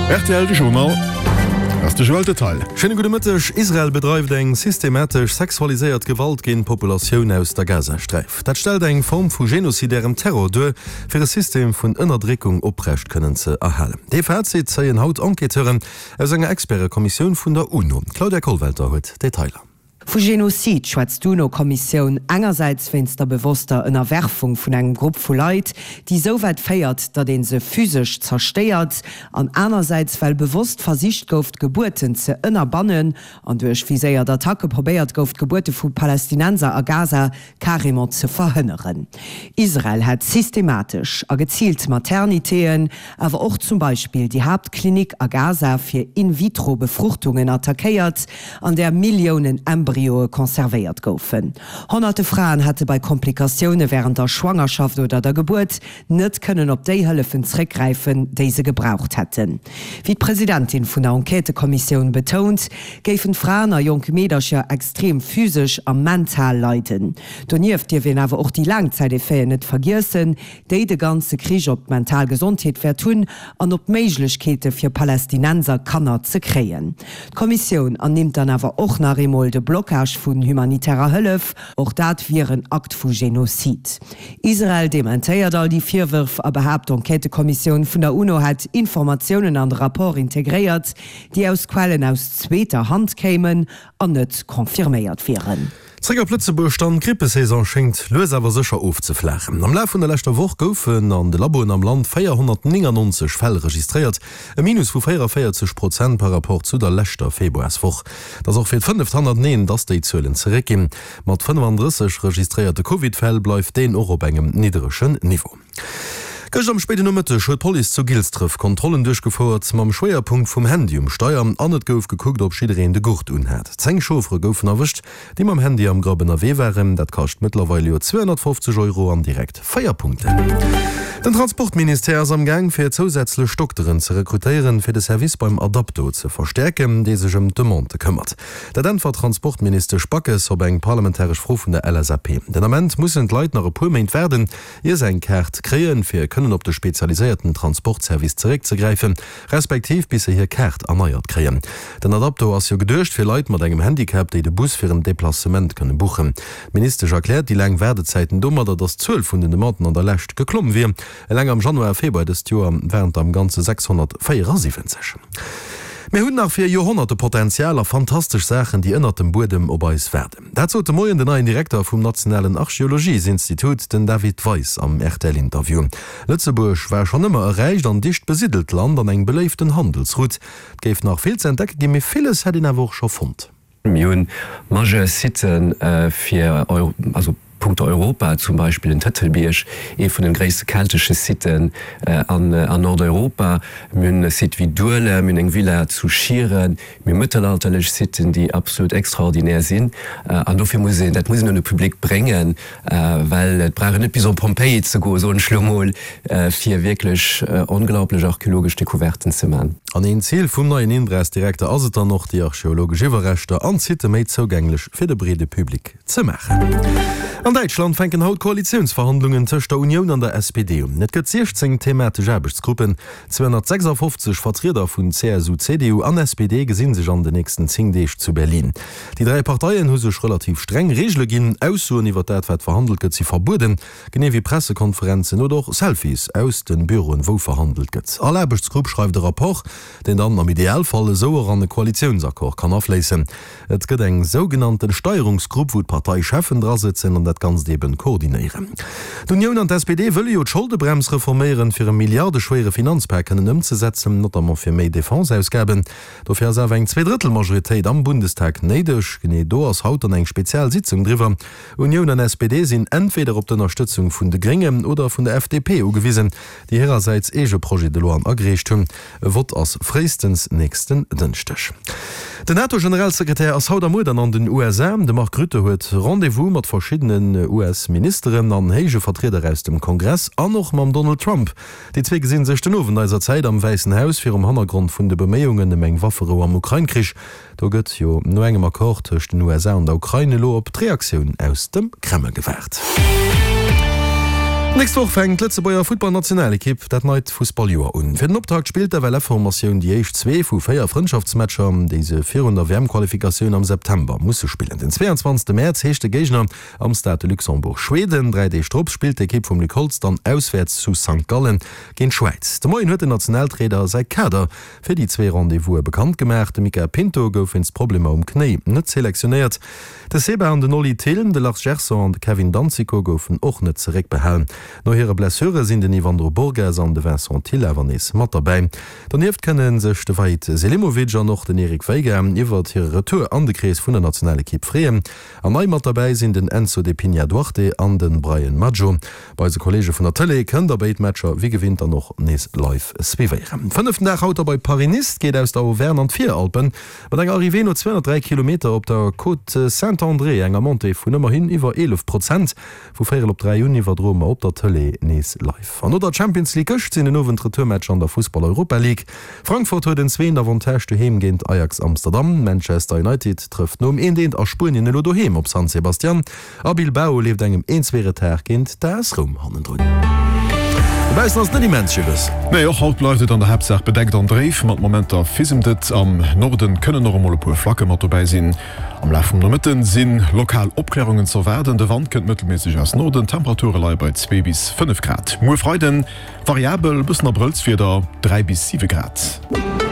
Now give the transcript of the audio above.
Rtl de Journal ass de Joël Detail. Schéine gudde Mëtteg. Israel bedreift eng systematesch sexualiséiert Gewalt géint d'Populatioun aus der Gazasträif. Dat stellt eng Form vu genozidärem Terror duer, fir e System vun Ënnerdréckung oprecht kënnen ze erhalen. Dee Fazit zéien haut Enquêteuren aus enger Expertekommissioun vun der UNO. D'Claudia Kollwelter huet d'Detailer. Vu Genozid schwätzt d'UNO-Kommissioun engersäits wéinst der bewosster Ënnerwerfung vun engem Grupp vu Leit, déi esou wäit féiert, datt ee se physesch zerstéiert, an anersäits well bewosst versicht gouf, d'Gebuerten ze ënnerbannen an duerch viséiert Attacke probéiert gouf, d'Gebuerte vu Palästinenser a Gaza carrément ze verhënneren. Israel hätt systematesch a geziilt Maternitéen, awer och zum Beispill déi Haaptklinik a Gaza fir In-vitro-Befruchtungen attackéiert, an där Milliounen Embryoe conservéiert goufen. Honnerte Fraen hätte bei Komplikatioune wärend der Schwangerschaft oder der Gebuert net kënnen op déi Hëllefen zréckgräifen, déi se gebraucht hätten. Wéi d'Presidentin vun der Enquêtëkommissioun betount, géifen d'Fraen a jonk Meedercher extrem physesch a mental leiden. Donieft dierf een awer och déi Laangzäiteffeten net vergiessen, déi de ganze Krich op d'mental Gesondheet wäert hunn an op d'Méiglechkeete fir Palästinenser Kanner ze kréien. D'Kommissioun ernimmt dann awer och nach eemol de Blocage vun humanitärer Hëllef. Och dat wier en Akt vu Genozid. Israel dementéiert all déi Virwërf a behaapt, d'Enquêtëkommissioun vun der UNO hätt Informatiounen an de Rapport integréiert, déi aus Quellen aus zweeter Hand kéimen an net confirméiert wieren. Zréck op Lëtzebuerg dann, D'Grippesaison schéngt lues awer sécher ofzeflaachen. Am Laf vun der leschter Woch goufen an de Laboen am Land 499 Fäll registréiert, e Minus vu 44 Prozent par Rapport zu der leschter Februarswoch. Et ass och fir d'fënneft hannerteneen, dass déi Zuelen zeréckginn. Mat 35 registréierte Covid-Fäll bleift deen och op engem nidderegen Niveau. Gëscht am spéiden Nomëtteg huet d'Police zu Gilsdref Kontrollen duerchgefouert, mam Schwéierpunkt vum Handy um Steier an et gouf gekuckt, ob jiddereen de Gurt unhat. 10 Chauffere goufen erwëscht, déi mam Handy am Grapp ënnerwee waren. Dat kascht mëttlerweil jo 250 Euro an direkt 4 Punkten. Den Transportministère ass am Gaang fir zousätzlech Dokteren ze rekrutéieren, fir de Service beim Adapto ze verstäerken, dee sech ëm d'Demandë këmmert. Dat äntwert d'Transportministesch Backes op eng parlamentaresch Fro vun der LSAP. Den Ament mussen d'Leit nach e puer Méint waarden, ier se eng Kaart kréien, fir kënnen op de spezialiséierten Transportservice zeréckzegräifen, respektiv bis se hir Kaart erneiert kréien. Den Adapto ass jo geduecht fir Leit mat engem Handicap, déi de Bus fir en Deplacement kënne buchen. D'Ministesch erkläert déi laang Waardezäiten domadder, datt d'Zuel vun den Demanden an der Lescht geklomm wier. Eleng am Januar a Februar dëst Joer waren et der am Ganze 674. Mir hunn nach fir Joerhonnerte Potenzial a fantastesch Saachen, déi ënnert dem Buedem op eis waarden. Dat sot de Moien den neien Direkter vum nationalen Archeologiesinstitut, den David Weis am RTL-Interview. Lëtzebuerg war schonn ëmmer e räicht an dicht besiddelt Land an eng beléiften Handelsroute. Et géif nach vill ze entdecke ginn, mee villes hätt een awer och scho fonnt. Mir hunn majeur Siten fir, also punkto Europa, zum Beispill den Tëtelbierg, ee vun den gréisste keltesche Siten an Nordeuropa. Mir hunn e Site wéi Duelem, mir hunn eng Villa zu Schieren, mir hu mëttelalterlech Siten, déi absolut extraordinär sinn. An dofir muss een, dat muss een un de Public bréngen, Well et brauch een net bis op Pompeji ze goen, soen ech lo mol, fir wierklech onglaublech archeologesch Découverten ze man. An een Zil vum neien INBRAS-Direkter ass et dann och, déi archeologesch Iwwerreschter an d'Sitte méi zougänglech fir de breede Public ze maachen. An Däitschland fänken haut d'Koalitiounsverhandlungen tëscht der Unioun an der SPD un. Et gëtt 16 thematesch Aarbechtsgruppen. 256 Vertrieder vun CSU, CDU an SPD gesi sech an den nächsten 10 Deeg zu Berlin. Déi 3 Parteien hu sech relativ streng Reegele ginn. Aussoen iwwer dat, wat verhandelt gëtt, si verbueden, genee wéi Pressekonferenzen oder och Selfies aus de Büroen, wou verhandelt gëtt. All Aarbechtsgrupp schreift e Rapport, deen dann am Idealfall esou och an e Koalitiounsaccord kann afléissen. Et gëtt eng sougenannte Steierungsgrupp, wou d'Parteicheffen drasëtzen an dat Ganzt eben koordinéieren. D'Unioun an d'SPD wëlle jo d'Scholdebrems reforméieren, fir e milliardeschwéiere Finanzpak kënnen ëmzesetzen, notamment fir méi Defenseausgaben. Dofir ass awer eng Zweedrëttelmajoritéit am Bundestag néideg. Genee do ass haut dann eng spezial Sitzung driwwer. Unioun an SPD sinn entweder op d'Ënnerstëtzung vun de Gréngen oder vun der FDP ugewisen, déi hirersäits eege Projet de loien agereecht hunn. E Vott ass fréistens nächsten Dënschdeg. Den NATO-Generalsekretär ass haut a muer dann an den USA. De Mark Rutte huet Rendez-vous mat verschiddenen US-Ministeren an héije Vertrieder aus dem Kongress an och mam Donald Trump. Déi zwee gesinn sech den Owend eiser Zäit am Wäissen Haus, virum Hannergrond vun de Beméiungen ëm eng Wafferou am Ukrain-Krich. Do gëtt jo no engem Accord tëscht den USA an der Ukrain elo op d'Reaktioun aus dem Kreml gewaart. D'nächst Woch fänkt d'Lëtzebuerger Futtballnationalekipp dat neit Fussballjoer un. Fir den Optakt spillt d'FLF-Formatioun déi éischt zwee vu 4 Frëndschaftsmatcher, déi se virun der WM-Qualifikatioun am September musse spillen. Den 22 Mäerz heescht de Géigner am Stade de Luxembourg Schweden. Dräi Deeg drop spillt d'Ekipp vum Luc Holtz dann auswäerts zu Sankt Gallen géint d'Schwäiz. De Moien huet den Nationaltrainer säi Kader fir déi zwee Rendez-vouse bekannt gemaach. De Mica Pinto gouf wéinst Problemer um Knéi net selektionéiert. De Seba an den Oli Thill, de Lars Gerson an de Kevin Danzico goufen och net zeréckbehalen. No hire Blessure sinn den Yvandro Borges an de Vincent Thill awer nees mat derbäi. Donieft kënne sech de Vahid Selimovic an och den Eric Veiga iwwert hire Retour an de Krees vun der Nationalekipp freeën. An nei mat derbäi sinn den Enzo De Pigna Duarte an de Brian Madjo. Bei eise Kolleege vun der Tëlee kënnt der béid Matcher wéi gewinnt dann och nees live suivéieren. Fënneften Dag haut da bei Paris-Nice geet aus der Auvergne an d'Viralpen mat enger Arrivée no 203 Kilometer op der Côte Saint-André, enger Montée vun ëmmerhin iwwer 11 Prozent. Vu véierel op 3 un iwwerdroe mer op der Tëlee nees live. An no der Champions League gëscht sinn den Owend d'Retourmatcher an der Fussball-Europa League. Frankfurt huet en zweent Avantage doheem géint Ajax Amsterdam. Manchester United trëfft nom eent eent a Spuenien elo doheem op San Sebastian. A Bilbao leeft engem een zwee Retard géint d'AS Roum hannendrun. Dobaussen ass et net immens jiwes. Nee, och haut bleift et an der Haaptsaach bedeckt an dréif. Mat Momenter fisemt et. Am Norden kënnen och emol e puer Flacke mat dobäi sinn. Am Laf vum Nomëtte si lokal Opklärungen z'erwaarden. De Wand kënnt mëttelméisseg aus Norden, d'Temperature leie bei 2 bis 5 Grad. Muer Freiden variabel, bëssen Abrëllswieder, 3 bis 7 Grad.